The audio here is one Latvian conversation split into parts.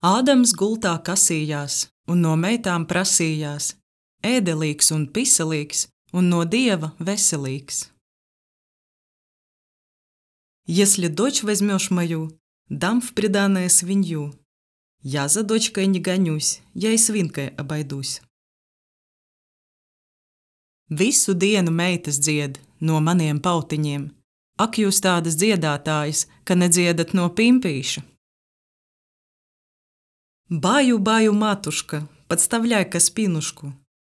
Ādams gultā kasījās, un no meitām prasījās, ēdelīgs un piselīgs, un no Dieva veselīgs. Если дочь возьмешь мою, дам в приданое свинью. Я за дочкой не гонюсь, я и свинкой обойдусь. Visu dienu meitas dzied no maniem pautiņiem. Ak, jūs tādas dziedātājas, ka nedziedat no pimpīša. Баю, баю, матушка, подставляй-ка спинушку.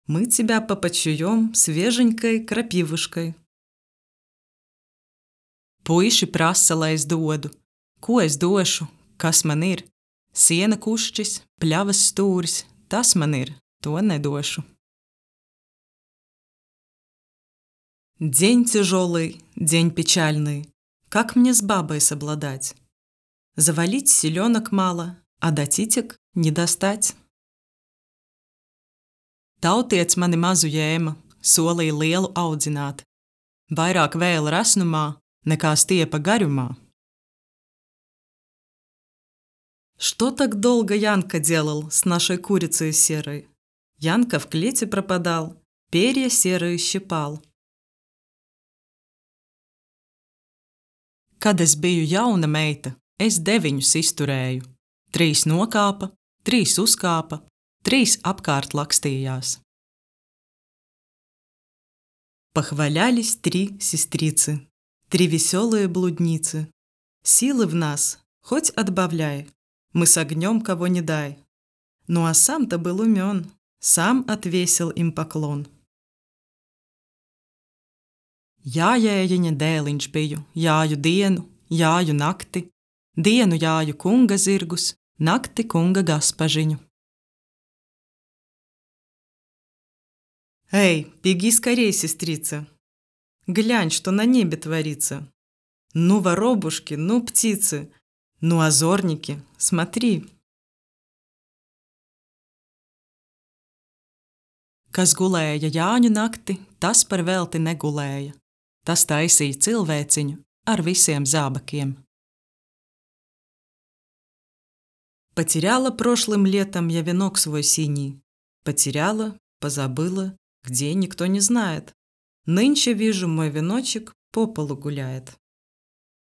Мы тебя попочуем свеженькой крапивушкой. Puiši prasa, lai es dodu. Ko es došu? Kas man ir? Siena kušķis, pļavas stūris, tas man ir, to nedošu. День тяжелый, день печальный. Как мне с бабой совладать? Завалить селенок мало, а до титек не достать. Tautiets mani mazu ņēma, solīja lielu audzināt. Vairāk vēl rasnumā, nekā stiepa гарюма. Что так долго Янка делал с нашей курицей серой? Янка в клете пропадал, перья серые щипал. Kad es biju jauna meita, es 9 izturēju. 3 nokāpa, 3 uzkāpa, 3 apkārt lakstījās. Похвалялись 3 сестрицы, 3 веселые блудницы. Силы в нас, хоть отбавляй, мы с огнем кого не дай. Ну а сам-то был умен, сам отвесил им поклон. Jājējiņa dēliņš biju, jāju dienu, jāju nakti, dienu jāju kunga zirgus, nakti kunga gaspažiņu. Эй, беги скорей, сестрица! Глянь, что на небе творится! Ну, воробушки, ну, птицы, ну, озорники, смотри! Kas gulēja Jāņu nakti, tas par velti negulēja. Tas taisīja cilvēciņu ar visiem zābakiem. Потеряла прошлым летом я венок свой синий. Потеряла, позабыла, где никто не знает. Нынче вижу, мой веночек по полу гуляет.